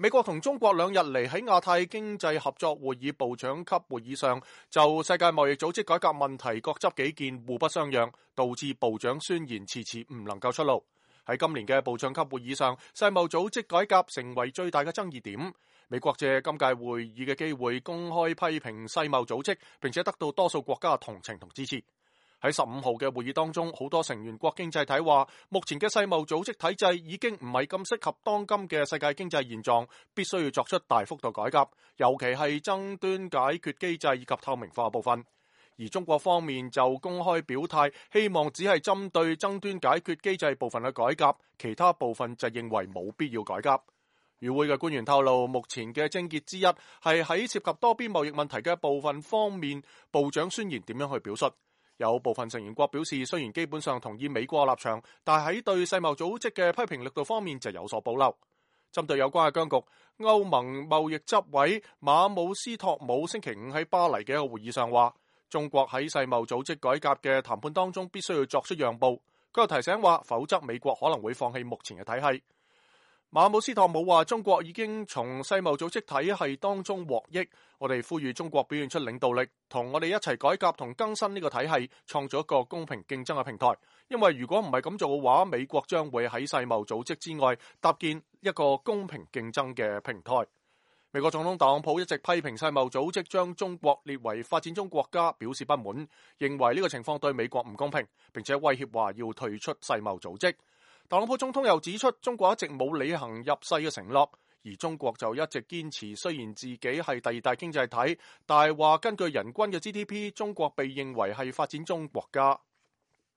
美國同中國兩日嚟喺亞太經濟合作會議部長級會議上，就世界貿易組織改革問題各執己見，互不相讓，導致部長宣言遲遲唔能夠出爐。喺今年嘅部長級會議上，世貿組織改革成為最大嘅爭議點。美國借今屆會議嘅機會公開批評世貿組織，並且得到多數國家同情同支持。喺15號嘅會議當中，好多成員國經濟體話，目前嘅世貿組織體制已經唔係咁適合當今嘅世界經濟現狀，必須要作出大幅度改革，尤其係爭端解決機制以及透明化部分。而中國方面就公開表態，希望只係針對爭端解決機制部分嘅改革，其他部分就認為冇必要改革。與會嘅官員透露，目前嘅症結之一係喺涉及多邊貿易問題嘅部分方面，部長宣言點樣去表述。有部分成員國表示，雖然基本上同意美國立場，但喺對世貿組織嘅批評力度方面就有所保留。針對有關嘅僵局，歐盟貿易執委馬姆斯托姆星期五喺巴黎嘅一個會議上話，中國喺世貿組織改革嘅談判當中必須要作出讓步。佢又提醒話，否則美國可能會放棄目前嘅體系。馬姆斯托姆話，中國已經從世貿組織體系當中獲益，我哋呼籲中國表現出領導力，同我哋一齊改革同更新呢個體系，創造一個公平競爭嘅平台。因為如果唔係咁做嘅話，美國將會喺世貿組織之外搭建一個公平競爭嘅平台。美國總統特朗普一直批評世貿組織將中國列為發展中國家，表示不滿，認為呢個情況對美國唔公平，並且威脅話要退出世貿組織。特朗普總統又指出，中國一直冇履行入世嘅承諾，而中國就一直堅持，雖然自己係第二大經濟體，但係話根據人均嘅 GDP， 中國被認為係發展中國家。